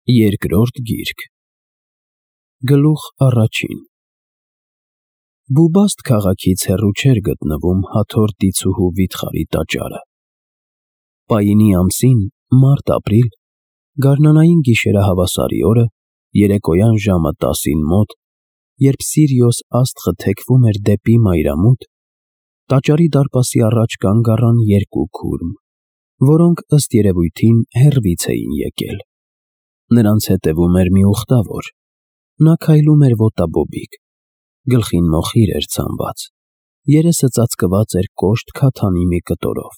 Երկրորդ գիրք Գլուխ առաջին Բուբաստ քաղաքից հեռու չէր գտնվում Հաթոռ դիցուհու վիթխարի տաճարը։ Պայինի ամսին, մարտ-ապրիլ, գարնանային գիշերահավասարի օրը, երեկոյան ժամը 10-ին մոտ, երբ Սիրիոս աստղը թեքվում էր դեպի մայրամուտ, տաճարի դարպասի առաջ կանգ առան երկու քուրմ, որոնք ըստ երևույթին հեռվից էին եկել։ Նրանց հետևում էր մի ուխտավոր, նա քայլում էր ոտաբոբիկ, գլխին մոխիր էր ցանված, երեսը ծածկված էր կոշտ քաթանի մի կտորով։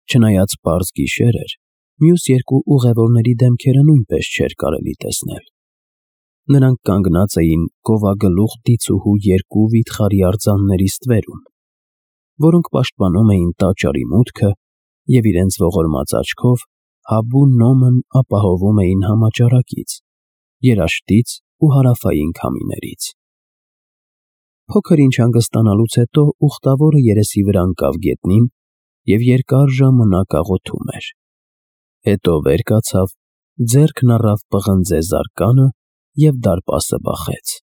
Չնայած պարզ գիշեր էր, մյուս երկու ուղևորների դեմքերը նույնպես չէր կարելի տեսնել։ Նրանք կանգնած էին գովագլուխ դիցուհու երկու վիթխարի արձանների ստվերում, որոնք պաշտպանում էին տաճարի մուտքը և իրենց ողորմած աչքով Հաբու Նոմն ապահովում էին համաճարակից, երաշտից ու հարավային քամիներից։ Փոքր ինչ հանգստանալուց հետո ուխտավորը երեսի վրա ընկավ գետնին և երկար ժամանակ աղոթում էր։ Հետո վեր կացավ, ձեռքն առավ պղնձե զարկանը և դարպասը բախեց։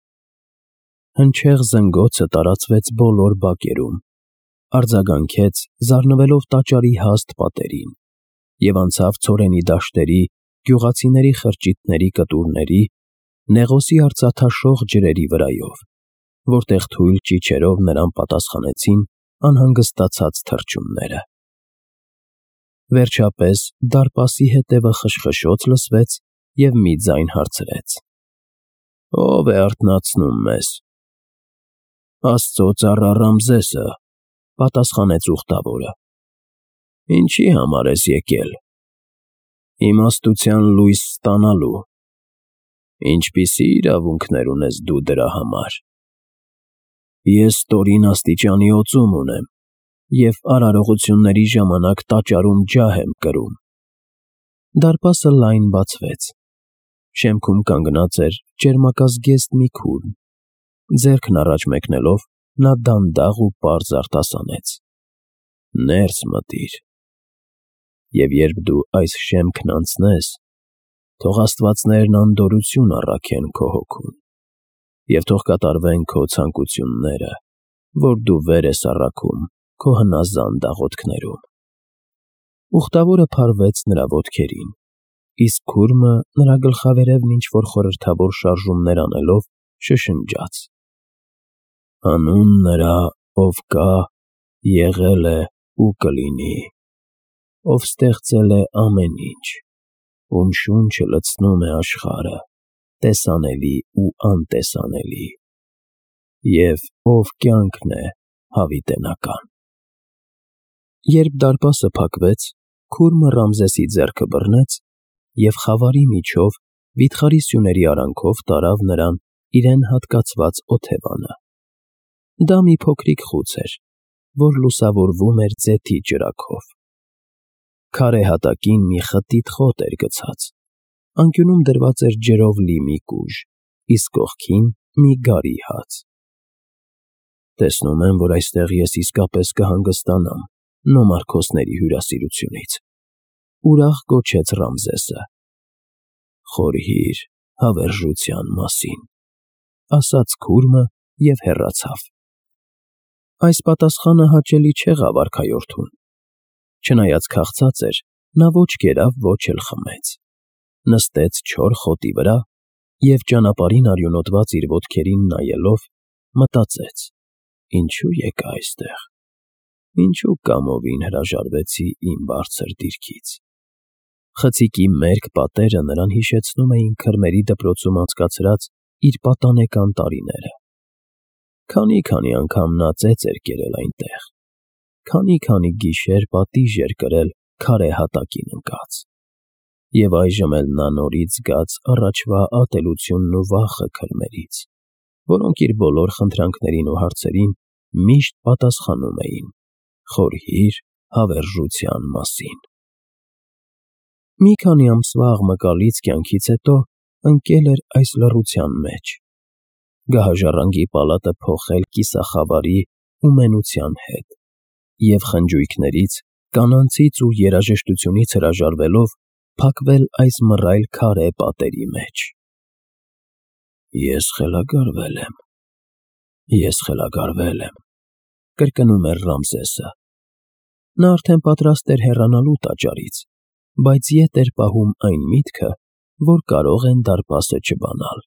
Հնչեղ զնգոցը տարածվեց բոլոր բակերում, արձագանքեց զարնվելով տաճարի հաստ պատերին և անցավ ցորենի դաշտերի, գյուղացիների խրճիթների կտուրների, Նեղոսի արծաթաշող ջրերի վրայով, որտեղ թույլ ճիչերով նրան պատասխանեցին անհանգստացած թռչունները։ Վերջապես դարպասի հետևը խշխշոց լսվեց և մի ձայն հարցրեց. «Ո՞վ է արթնացնում մեզ»։ «Աստծո ծառա Ռամզեսը», պատասխանեց ուխտավորը։ «Ինչի համար ես եկել»։ «Իմաստության լույս ստանալու»։ «Ինչպիսի իրավունքներ ունես դու դրա համար»։ «Ես ստորին աստիճանի օծում ունեմ և արարողությունների ժամանակ տաճարում ջահ եմ կրում»։ Դարպասը լայն բացվեց։ Շեմքում կանգնած էր ճերմակազգեստ մի քուրմ, ձեռքն առաջ մեկնելով, նա դանդաղ ու պարզ արտասանեց. «Ներս մտիր, և երբ դու այս շեմքն անցնես, թող աստվածներն անդորրություն առաքեն քո հոգուն, և թող կատարվեն քո ցանկությունները, որ դու վեր ես առաքում քո հնազանդ աղոթքներում»։ Ուխտավորը փարվեց նրա ոտքերին, իսկ քուրմը նրա գլխավերևն ինչ-որ խորհրդավոր շարժումներ անելով շշնջաց. «Հանուն նրա, ով կա, եղել է ու կլինի, ով ստեղծել է ամեն ինչ, ում շունչը լցնում է աշխարհը, տեսանելի ու անտեսանելի, և ով կյանքն է հավիտենական»։ Երբ դարպասը փակվեց, քուրմը Ռամզեսի ձեռքը բռնեց և խավարի միջով վիթխարի սյուների արանքով տարավ նրան իրեն հատկացված օթևանը։ Դա մի փոքրիկ խուց էր, որ լուսավորվում էր ձեթի ճրագով։ Քարե հատակին մի խտիտ խոտ էր գցած, անկյունում դրված էր ջրով լի մի կուժ, իսկ կողքին մի գարի հաց։ «Տեսնում եմ, որ այստեղ ես իսկապես կհանգստանամ նոմարքոսների հյուրասիրությունից», ուրախ գոչեց Ռամզեսը։ «Խորհիր հավերժության մասին», ասաց քուրմը և հեռացավ։ Այս պատասխանը հաճելի չեղավ արքայորդուն։ Չնայած քաղցած էր, նա ոչ կերավ, ոչ էլ խմեց։ Նստեց չոր խոտի վրա և ճանապարհին արյունոտված իր ոտքերին նայելով, մտածեց. «Ինչու եկա այստեղ, ինչու կամովին հրաժարվեցի իմ բարձր դիրքից»։ Խցիկի մերկ պատերը նրան հիշեցնում էին քրմերի դպրոցում անցկացրած իր պատանեկան տարիները։ Քանի անգամ նա ծեծ էր կերել այնտեղ, քանի գիշեր պատիժ էր կրել քարե հատակին ընկած։ Եվ այժմ էլ նա նորից զգաց առաջվա ատելությունն ու վախը քրմերից, որոնք իր բոլոր խնդրանքներին ու հարցերին միշտ պատասխանում էին. «Խորհիր հավերժության մասին»։ Մի քանի ամսվա աղմկալից կյանքից հետո ընկել էր այս լռության մեջ, գահաժառանգի պալատը փոխել կիսախավարի ու մենության հետ, և խնջույքներից, կանանցից ու երաժշտությունից հրաժարվելով փակվել այս մռայլ քարե պատերի մեջ։ Ես խելագարվել եմ, կրկնում էր Ռամզեսը։ Նա արդեն պատրաստ էր հեռանալու տաճարից, բայց ետ էր պահում այն միտքը, որ կարող են դարպասը չբանալ։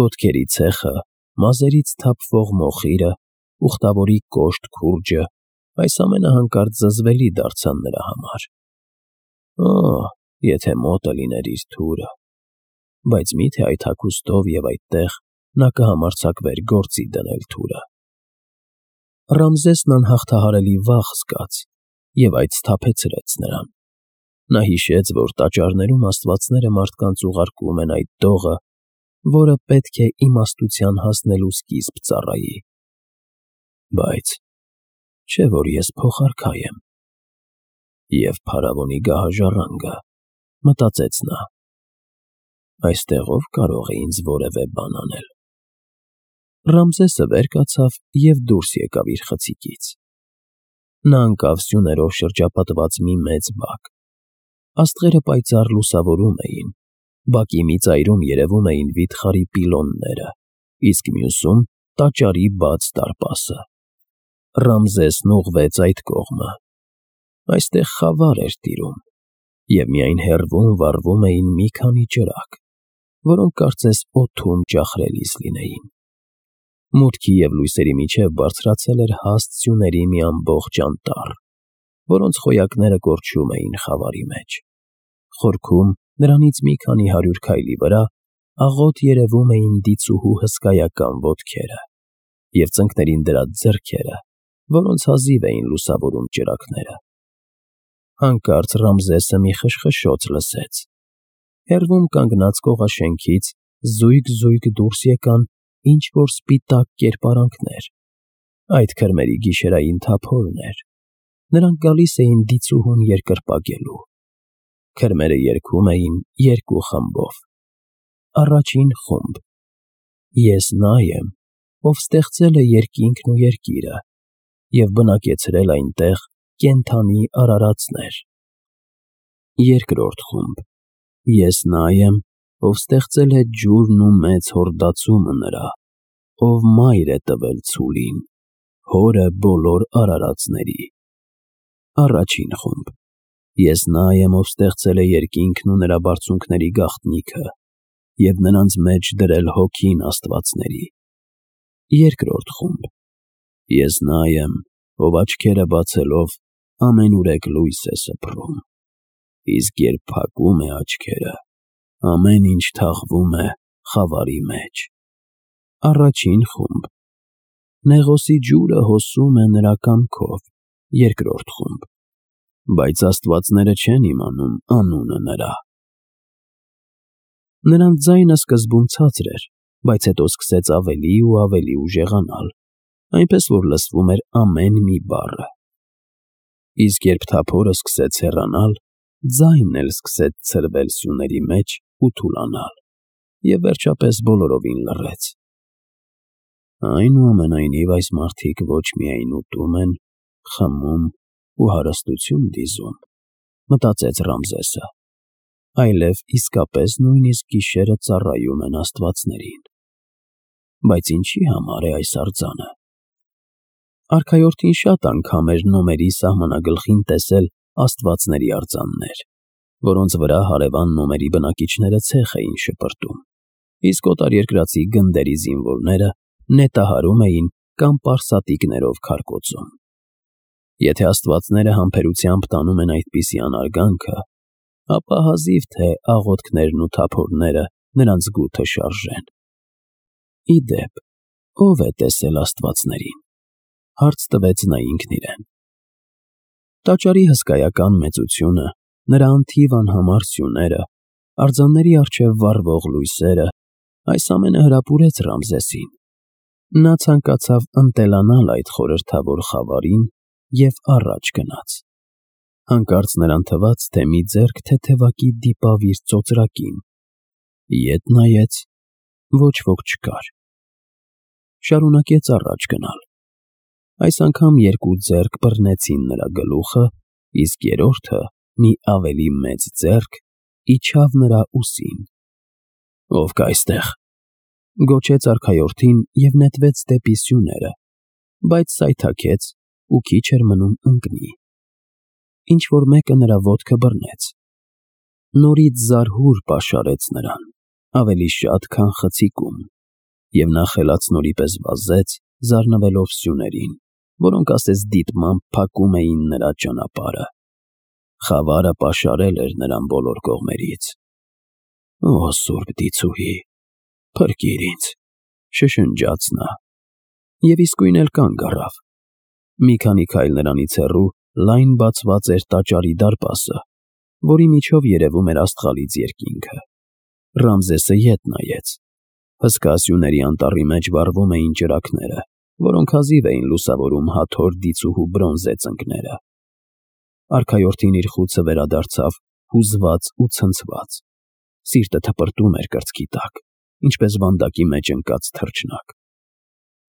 Ոտքերի ցեխը, մազերից թափվող մոխիրը, ուխտավորի կոշտ քուրջը, այս ամենը հանկարծ զզվելի դարձան նրա համար։ Եթե մոտը լիներ իր թուրը, բայց միթե այդ հագուստով և այդտեղ նա կհամարձակվեր գործի դնել թուրը։ Ռամզեսն անհաղթահարելի վախ զգաց, և այդ սթափեցրեց նրան։ Նա հիշեց, որ տաճարներում աստվածները մարդկանց ուղարկում են այդ դողը, որը պետք է իմաստության հասնելու սկիզբ ծառայի։ Բայց չէ՞ որ ես փոխարքայ եմ։ Եվ փարավոնի գահաժառանգը, մտածեց նա, այստեղ ով կարող է ինձ որևէ բան անել։ Ռամզեսը վեր կացավ և դուրս եկավ իր խցիկից։ Նա ընկավ սյուներով շրջապատված մի մեծ բակ։ Աստղերը պայծառ լուսավորում էին, բակի մի ծայրում երևում էին վիթխարի պիլոնները, իսկ մյուսում տաճարի բաց դարպասը։ Ռամզեսն ուղղվեց այդ կողմը։ Այստեղ խավար էր տիրում, և միայն հեռվում վառվում էին մի քանի ճրագ, որոնք կարծես օդում ճախրելիս լինեին։ Մուտքի և լույսերի միջև բարձրացել էր հաստ սյուների մի ամբողջ անտառ, որոնց խոյակները կորչում էին խավարի մեջ։ Խորքում, նրանից մի քանի 100 քայլի վրա, աղոտ երևում էին դիցուհու հսկայական ոտքերը և ծնկներին դրած ձեռքերը, որոնց հազիվ էին լուսավորում ճրագները։ Հանկարծ Ռամզեսը մի խշխշոց լսեց։ Հեռվում կանգնած կողաշենքից զույգ-զույգ դուրս եկան ինչ-որ սպիտակ կերպարանքներ։ Այդ քրմերի գիշերային թափորն էր։ Նրանք գալիս էին դիցուհուն երկրպագելու։ Քրմերը երգում էին երկու խմբով։ Առաջին խումբ. Ես նա եմ, ով ստեղծել է երկինքն ու երկիրը և բնակեցրել այնտեղ կենդանի արարածներ։ Երկրորդ խումբ. Ես նա եմ, ով ստեղծել է ջուրն ու մեծ հորդացումը նրա, ով մայր է տվել ցուլին, հորը բոլոր արարածների։ Առաջին խումբ. Ես նա եմ, ով ստեղծել է երկինքն ու նրա բարձունքների գաղտնիքը և նրանց մեջ դրել հոգին աստվածների։ Երկրորդ խումբ. Ես նա եմ, ով աչքերը բացելով ամենուրեք լույս է սփռում, իսկ երբ փակում է աչքերը, ամեն ինչ թաղվում է խավարի մեջ։ Առաջին խումբ. Նեղոսի ջուրը հոսում է նրա կամքով։ Երկրորդ խումբ. Բայց աստվածները չեն իմանում անունը նրա։ Նրանց ձայնը սկզբում ցածր էր, բայց հետո սկսեց ավելի ու ավելի ուժեղանալ, այնպես որ լսվում էր ամեն մի բառը։ Իսկ երբ թափորը սկսեց հեռանալ, ձայնն էլ սկսեց ցրվել սյուների մեջ ու թուլանալ, և վերջապես բոլորովին լռեց։ Այնուամենայնիվ այս մարդիկ ոչ միայն ուտում են, խմում ու հարստություն դիզում, մտածեց Ռամզեսը, այլև իսկապես նույնիսկ գիշերը ծառայում են աստվածներին։ Բայց ինչի համար է այս արձանը։ Արքայորդին շատ անգամ էր նոմերի սահմանագլխին տեսել աստվածների արձաններ, որոնց վրա հարևան նոմերի բնակիչները ցեխ էին շպրտում, իսկ օտարերկրացի գնդերի զինվորները նետահարում էին կամ պարսատիկներով քարկոծում։ Եթե աստվածները համբերությամբ տանում են այդպիսի անարգանքը, ապա հազիվ թե աղոթքներն ու թափորները նրանց գութը շարժեն։ Ի դեպ, ո՞վ է տեսել աստվածներին, հարց տվեց նա ինքն իրեն։ Տաճարի հսկայական մեծությունը, նրա անթիվ անհամար սյուները, արձանների առջև վառվող լույսերը, այս ամենը հրապուրեց Ռամզեսին։ Նա ցանկացավ ընտելանալ այդ խորհրդավոր խավարին և առաջ գնաց։ Հանկարծ նրան թվաց, թե մի ձեռք թեթևակի դիպավ իր ծոծրակին։ Ետ նայեց, ոչ ոք չկար։ Շարունակեց առաջ գնալ։ Այս անգամ երկու ձեռք բռնեցին նրա գլուխը, իսկ երրորդը մի ավելի մեծ ձեռք իջավ նրա ուսին։ «Ով կա այստեղ», գոչեց արքայորդին և նետվեց դեպի սյուները, բայց սայթաքեց ու քիչ էր մնում ընկնի։ Ինչ-որ մեկը նրա ոտքը բռնեց։ Նորից զարհուր պաշարեց նրան, ավելի շատ, քան խցիկում, և նա խելացնորի պես վազեց, զարնվելով սյուներին, որոնք ասես դիտմամբ փակում էին նրա ճանապարհը։ Խավարը պաշարել էր նրան բոլոր կողմերից։ «Օ Սուրբ Դիցուհի, փրկիր ինձ», շշնջաց նա, և իսկույն էլ կանգ առավ։ Մի քանի քայլ նրանից հեռու լայն բացված էր տաճարի դարպասը, որի միջով երևում էր աստղալից երկինքը։ Ռամզեսը ետ նայեց։ Հսկա սյուների անտառի մեջ վառվում էին ճրագները, որոնք հազիվ էին լուսավորում հաթոր դիցուհու բրոնզե ծնկները։ Արքայորդին իր խուցը վերադարձավ հուզված ու ցնցված։ Սիրտը թպրտում էր կրծքի տակ, ինչպես վանդակի մեջ ընկած թռչնակ։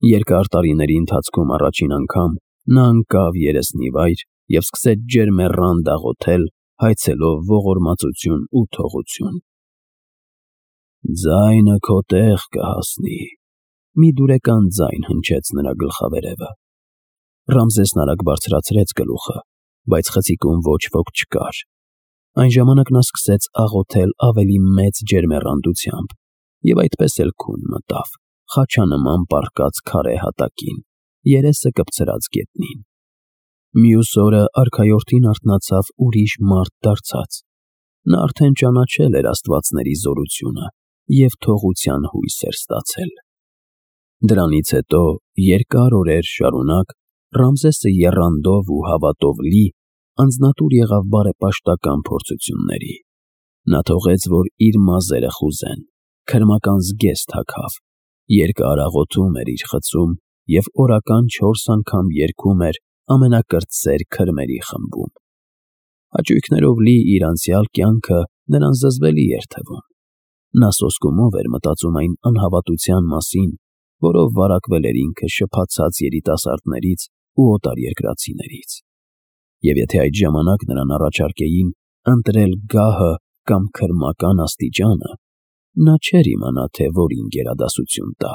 Երկար տարիների ընթացքում առաջին անգամ նա ընկավ երեսնիվայր և սկսեց ջերմեռան դաղոթել, հայցելով ողորմածություն ու թողություն։ «Ձայնը քո տեղ կհասնի», մի դուրեկան ձայն հնչեց նրա գլխավերևը։ Ռամզեսն արագ բարձրացրեց գլուխը, բայց խցիկում ոչ ոք չկար։ Այն ժամանակ նա սկսեց աղոթել ավելի մեծ ջերմեռանդությամբ և այդպես էլ քուն մտավ խաչանման պառկած քարե հատակին, երեսը կպցրած գետնին։ Մյուս օրը արքայորդին արթնացավ ուրիշ մարդ դարձած։ Նա արդեն ճանաչել էր աստվածների զորությունը և թողության հույս էր ստացել։ Դրանից հետո երկար օրեր շարունակ Ռամզեսը եռանդով ու հավատով լի անձնատուր եղավ բարեպաշտական փորձությունների։ Նա թողեց, որ իր մազերը խուզեն, քրմական զգեստ հագավ, երկար աղոթում էր իր խցում և օրական 4 անգամ երգում էր ամենակրտսեր քրմերի խմբում։ Հաճույքներով լի իր անցյալ կյանքը նրան զզվելի էր թվում։ Նա սոսկումով էր մտածում այն անհավատության մասին, որով վարակվել էր ինքը շփաթած երիտասարդներից ու օտարերկրացիներից։ Եվ եթե այդ ժամանակ նրան առաջարկեին ընտրել գահը կամ քրմական աստիճանը, նա չէր իմանա, թե որին գերադասություն տա։